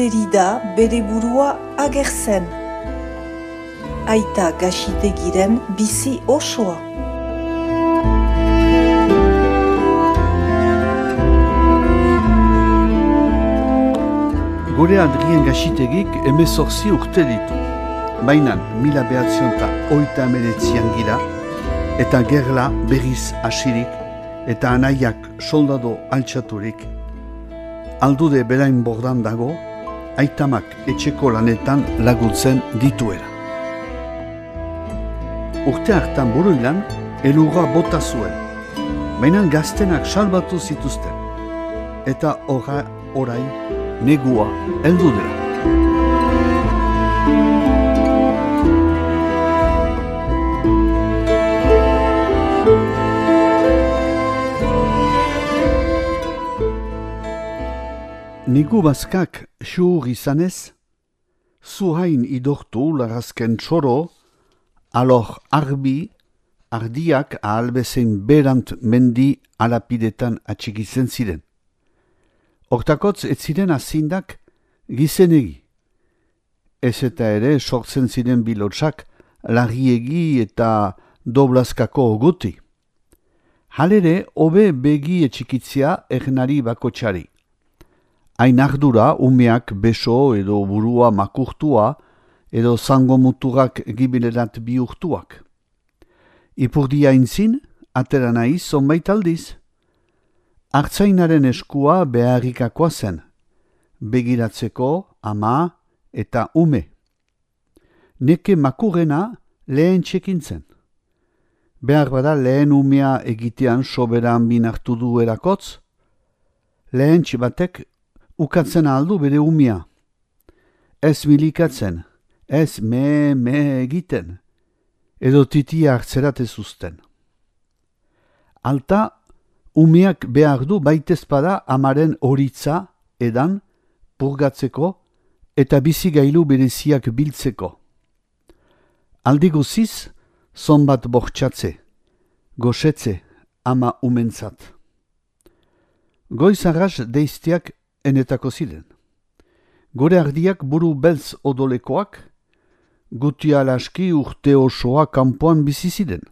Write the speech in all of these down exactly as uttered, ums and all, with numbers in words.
erori da bere burua agertzen. Aita Gaxitegiren bizi osoa. Gure Adrien Gaxitegik hemezortzi urte ditu. Bainan mila behatzionta oita emeretzian gira, eta gerla berriz hasirik, eta anaiak soldado altxaturik. Aldude berain bordan dago, aitamak etxeko lanetan laguntzen dituera. Urte hartan buruilan, elurra bota zuen, bainan gaztenak salbatu zituzten, eta ora, orain, negua heldu dela. Negu bazkak xur izanez, zuhain idortu larazken txoro, alor arbi, ardiak ahalbezein berant mendi alapidetan atxikitzen ziren. Hortakotz ez ziren azindak gizenegi. Ez eta ere sortzen ziren bilotsak larriegi eta doblazkako oguti. Halere, hobe begi etxikitzia ernari bakotxari. Hain ardura umeak beso edo burua makurtua edo zango muturak gibilerat bihurtuak. Ipurdia intzin, atera nahi zonbait aldiz. Artzainaren eskua beharrikakoa zen, begiratzeko ama eta ume. Neke makurrena lehen txekintzen. Behar bada lehen umea egitean soberan binartu du erakotz, lehen txibatek ukatzen aldu bere umea. Ez milikatzen, ez me-me egiten, edo titia hartzerat ez uzten. Alta, umeak behar du baitezpada amaren horitza edan purgatzeko eta bizigailu bereziak biltzeko. Aldi guziz, zonbat bortxatze, goxetze ama umentzat. Goiz arras deiztiak enetako ziren. Gore ardiak buru beltz odolekoak, guti alaski urte osoa kanpoan bizi ziren.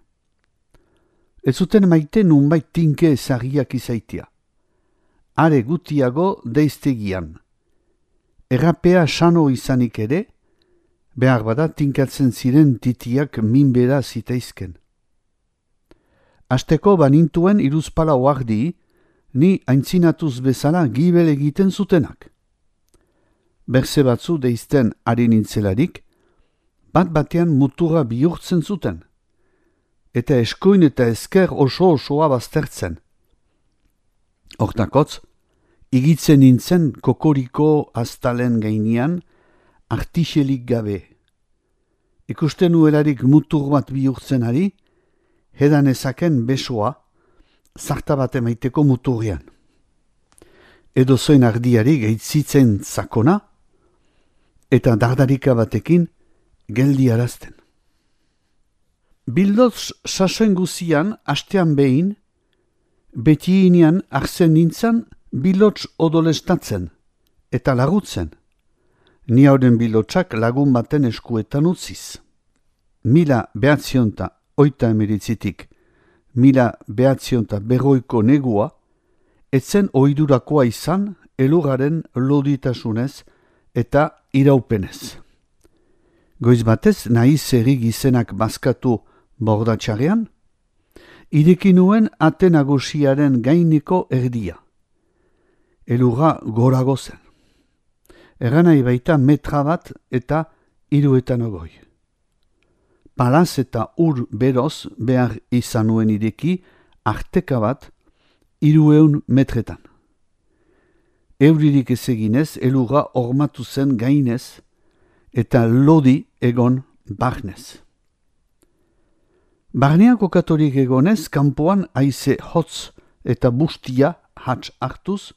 Ez zuten maite nunbait tinke ezarriak izaitia. Are gutiago deiztegian. Errapea sano izanik ere, behar bada tinkatzen ziren titiak minbera zitaizken. Asteko banintuen iruzpala oardi, ni aintzinatuz bezala gibel egiten zutenak. Berze batzu deizten ari nintzelarik, bat batean mutura bihurtzen zuten, eta eskuin eta esker oso-osoa baztertzen. Hortakotz, igitzen nintzen kokoriko aztalen gainean artixelik gabe. Ikusten nuelarik mutur bat bihurtzen ari, hedan ezaken besoa, zarta bat emaiteko muturrean. Edo zoin ardiari gaitzitzen zakona, eta dardarika batekin geldi arazten. Bildotz sasoen guzian, astean behin, beti inean arzen nintzan bilotz odolestatzen, eta lagutzen. Ni hauden bilotzak lagun baten eskuetan utziz. Mila behatzionta oita emeritzitik, mila behatzionta berroiko negua, etzen oidurakoa izan elurraren loditasunez eta iraupenez. Goiz batez nahi zerri gizenak bazkatu bordatxarean, ireki nuen ate nagusiaren gaineko erdia. Elurra gorago zen. Eranai baita metra bat eta hiruetan ogoi. Palaz eta ur beroz behar izan nuen ireki arteka bat hirueun metretan. Euririk ez eginez elurra ormatu zen gainez eta lodi egon barnez. Barnean kokatorik egonez, kanpoan haize hotz eta bustia hats hartuz,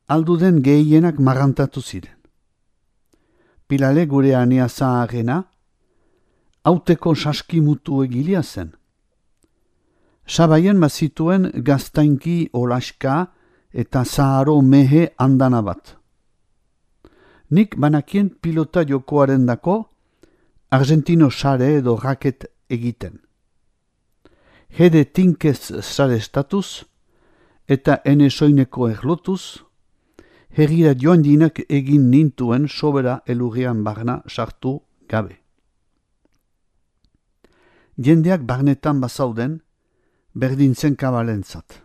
alduden gehienak marrantatu ziren. Pilale gure anea zaharrena, hauteko saskimutu egilia zen. Sabaien mazituen gaztainki olaska eta zaharo mehe andana bat. Nik banakien pilota jokoaren dako Argentino sare edo raket egiten. Hede tinkez sare estatuz eta ene soineko erlotuz, herrira joan dinak egin nintuen sobera elurrian barna sartu gabe. Jendeak barnetan bazauden, berdintzen kabalentzat.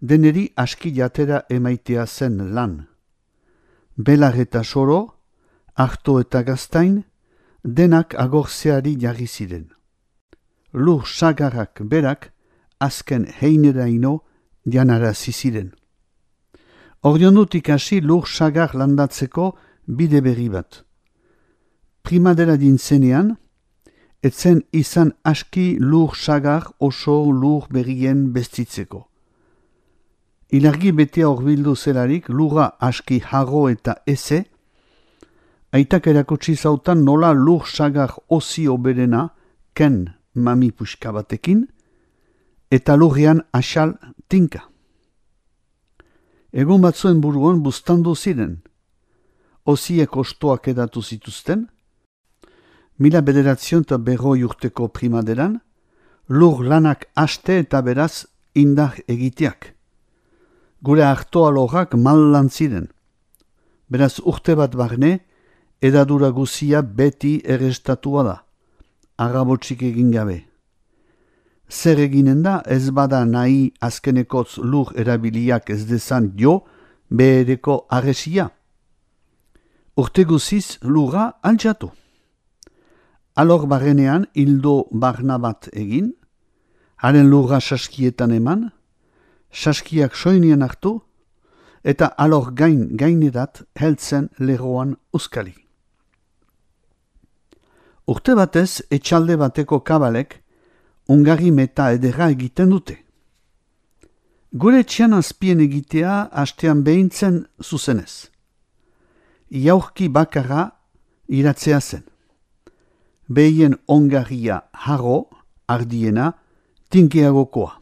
Deneri aski jatera emaitea zen lan. Belar eta soro, arto eta gaztain, denak agortzeari jarri ziren. Lur sagarrak berak azken heineraino janarazi ziren. Orionutik hasi lur sagar landatzeko bide berri bat. Primadera dintzenean, etzen izan aski lur sagar oso lur berrien bestitzeko. Ilargi betea horbildu zelarik lurra aski harro eta eze, aitak erakutsi zautan nola lur sagar osi oberena ken mami puska batekin, eta lurrean asal tinka. Egun batzuen buruan buztandu ziren. Osiek ostoak edatu zituzten, mila bederatzion eta berroi urteko primaderan, lur lanak haste eta beraz indar egiteak. Gure hartoa lorrak mal lan ziren. Beraz urte bat barne, edadura guzia beti errestatua da, arrabotxik egin gabe. Zer eginen da ez bada nahi azkenekotz lur erabiliak ez dezan jo behereko arresia. Urte guziz lurra altxatu. Alor barrenean hildo barna bat egin, haren lurra saskietan eman, saskiak soinien hartu, eta alor gain gainerat heltzen lerroan uskali. Urte batez etxalde bateko kabalek ungari meta edera egiten dute. Gure txian azpien egitea hastean behintzen zuzenez. Jaurki bakarra iratzea zen. Behien ongarria harro, ardiena, tinkeagokoa.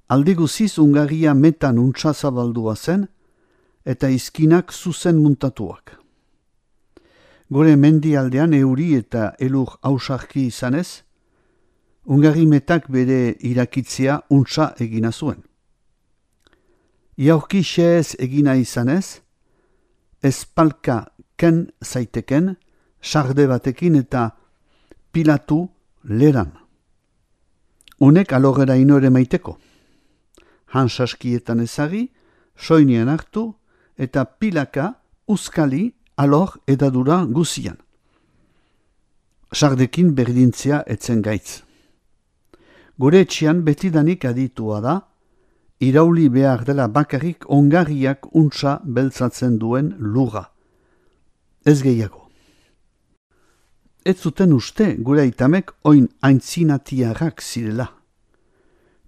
Alde guziz ungarria metan untsa zabaldua zen, eta izkinak zuzen muntatuak. Gure mendialdean euri eta elur hausarki izanez, ungarri metak bere irakitzea untsa egina zuen. Jaurki xeez egina izanez, espalka ken zaiteken, sarde batekin eta pilatu leran. Honek alorera inore maiteko. Hansaskietan ezagi, soinean hartu eta pilaka uskali alor edadura guzian. Sardekin berdintzea etzen gaitz. Gure etxean betidanik aditua da, irauli behar dela bakarrik ongarriak untsa beltzatzen duen lurra. Ez gehiago. Ez zuten uste gure aitamek oin aintzinatiarrak zirela.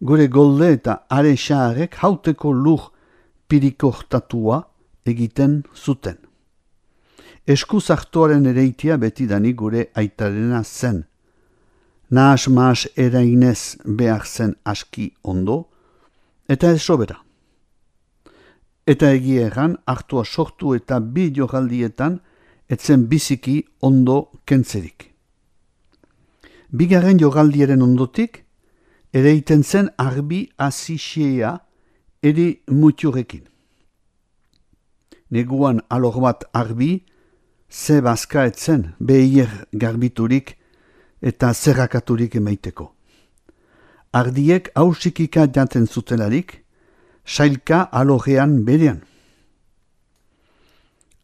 Gure golde eta are xaharek hauteko lur pirikortatua egiten zuten. Eskuz hartuaren ereitia betidanik gure aitarena zen. Nahas mahas erainez behar zen aski ondo, eta ez sobera. Eta egia erran, hartua sortu eta bi joraldietan etzen biziki ondo kentzerik. Bigarren joraldiaren ondotik, ereiten zen arbi azixea eri mutiurekin. Neguan alor bat arbi, ze bazka etzen behier garbiturik eta zerrakaturik emaiteko. Ardiek hausikika jaten zutelarik, sailka alorean berean.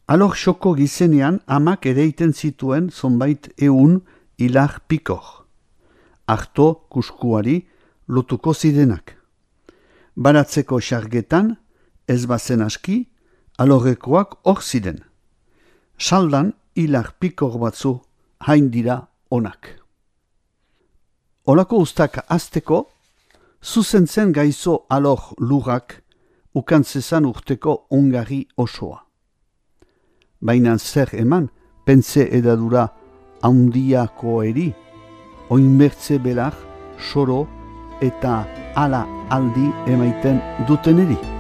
Alor xoko gizenean amak ereiten zituen zonbait eun hilar pikor. Arto kuskuari lotuko zirenak. Baratzeko xargetan, ez bazen aski, alorekoak hor ziren. Saldan hilar pikor batzu hain dira onak. Olako ustak azteko, zuzentzen gaizo alor lurrak ukantzezan urteko ongarri osoa. Baina zer eman, pentze edadura haundiako eri, oinbertze belar, soro eta ala aldi emaiten duteneri.